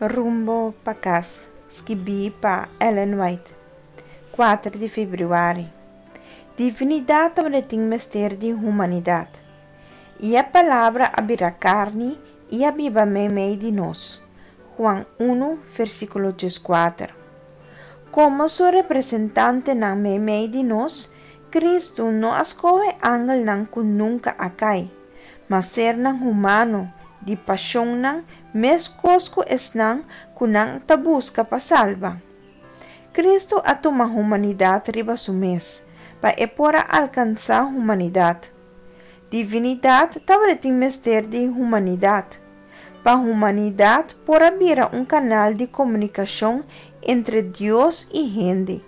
Rumbo pa kas, skibí pa Ellen White, 4 di febrüari. Divinidat tabatin mester di humanidat. I e Palabra a bira karni i a biba meimei di nos. Juan 1, versíkulo 14. Komo su representantenan meimei di nos, Kristu no a skohe angelnan ku nunka a kai, ma sernan humano, di pashonnan meskos ku esnan ku nan ta buska pa salba. Kristu a tuma humanidat riba su mes, pa e por a alkansá humanidat. Divinidat tabatin mester di humanidat, pa humanidat por a bira un kanal di komunikashon entre Dios i hende.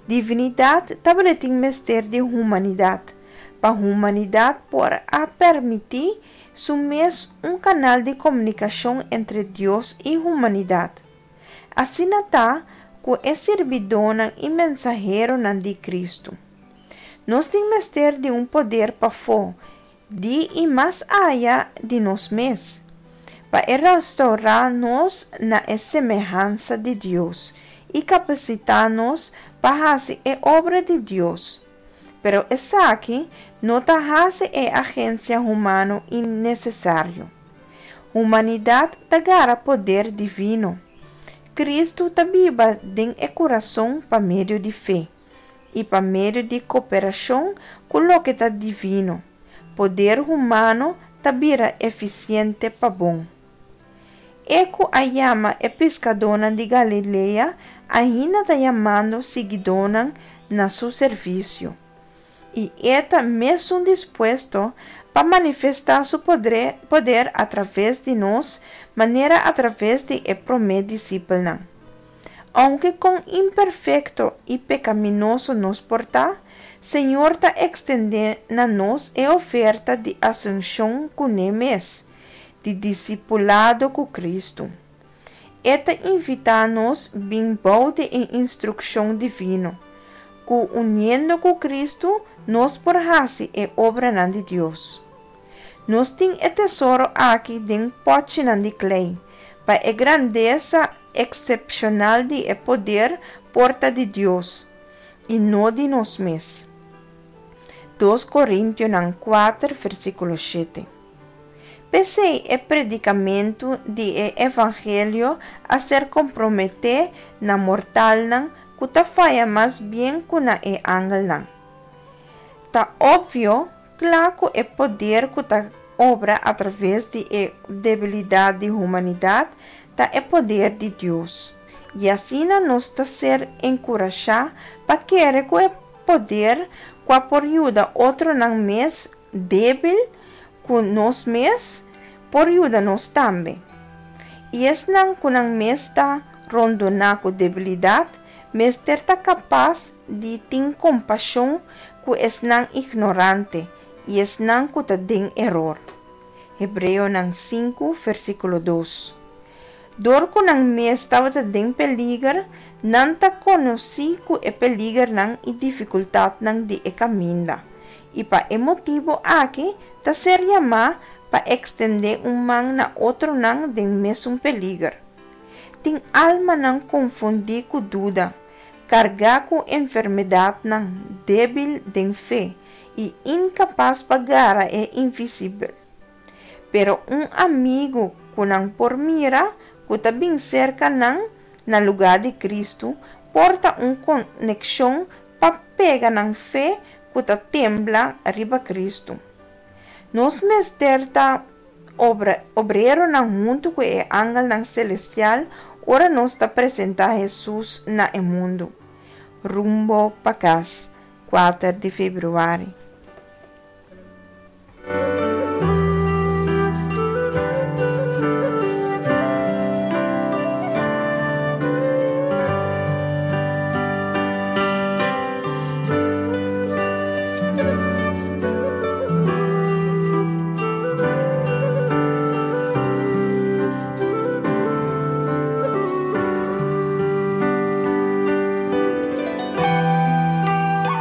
Divinidat tabatin mester di humanidat, pa humanidat por a permití su mes un kanal di komunikashon entre Dios i humanidat. Asina ta ku e sirbidónan i mensaheronan di Kristu. Nos tin mester di un poder pafó di i mas aya di nos mes, pa e restourá nos na e semehansa di Dios i kapasitá nos pa hasi e obra di Dios. Pero esaki no ta hasi e agensia humano innesesario. Humanidat ta gara poder divino. Kristu ta biba den e kurason pa medio di fe i pa medio di koperashon ku loke ta divino, poder humano ta bira efisiente pa bon. E ku a yama e piskadónan di Galilea ainda ta yamando siguidónan na su servisio, i e ta mesun dispuesto pa manifestá su poder atraves di nos manera atraves di e promé disipelnan. Ounke kon imperfekto i pekaminoso nos por ta, Señor ta ekstendé na nos e oferta di asunshon kuné mes, di disipulado ku Kristu. E ta invitá nos bin bou di e instrukshon divino, ku uniendo ku Kristu nos por hasi e obranan di Dios. Nos tin e tesoro aki den pòchinan di klei, pa e grandesa eksepshonal di e poder por ta di Dios, i no di nos mes. 2 Korintionan 4, versíkulo 7. P'esei e predikamentu di e evangelio a ser komprometé na mortalnan ku ta faya mas bien ku na e angelnan. Ta opvio kla ku e poder ku ta obra atraves di e debilidat di humanidat ta e poder di Dios, i asina nos ta ser enkurashá pa kere ku e poder kua por yuda otronan mes débil ku nos mes, por yuda nos tambe. I esnan ku nan mes ta rondoná ku debilidat mester ta kapas di tin kompashon ku esnan ignorante i esnan ku ta den eror. Hebreonan 5, versíkulo 2. Dor ku nan mes tabata den peliger, nan ta konosí ku e peligernan i difikultatnan di e kaminda, i pa e motibu aki ta ser yamá pa ekstendé un man na otronan den mesun peliger. Tin almanan konfundí ku duda, kargá ku enfermedatnan, débil den fe, i inkapas pa gara e invisibel. Pero un amigu ku nan por mira ku ta bin serka nan na lugá di Kristu por ta un konekshon pa pega nan fe ku ta tembla riba Kristu. Nos mester ta obreronan huntu ku e angelnan selestial ora nos ta presentá Hesus na e mundu. Rumbo pa kas, 4 di febrüari.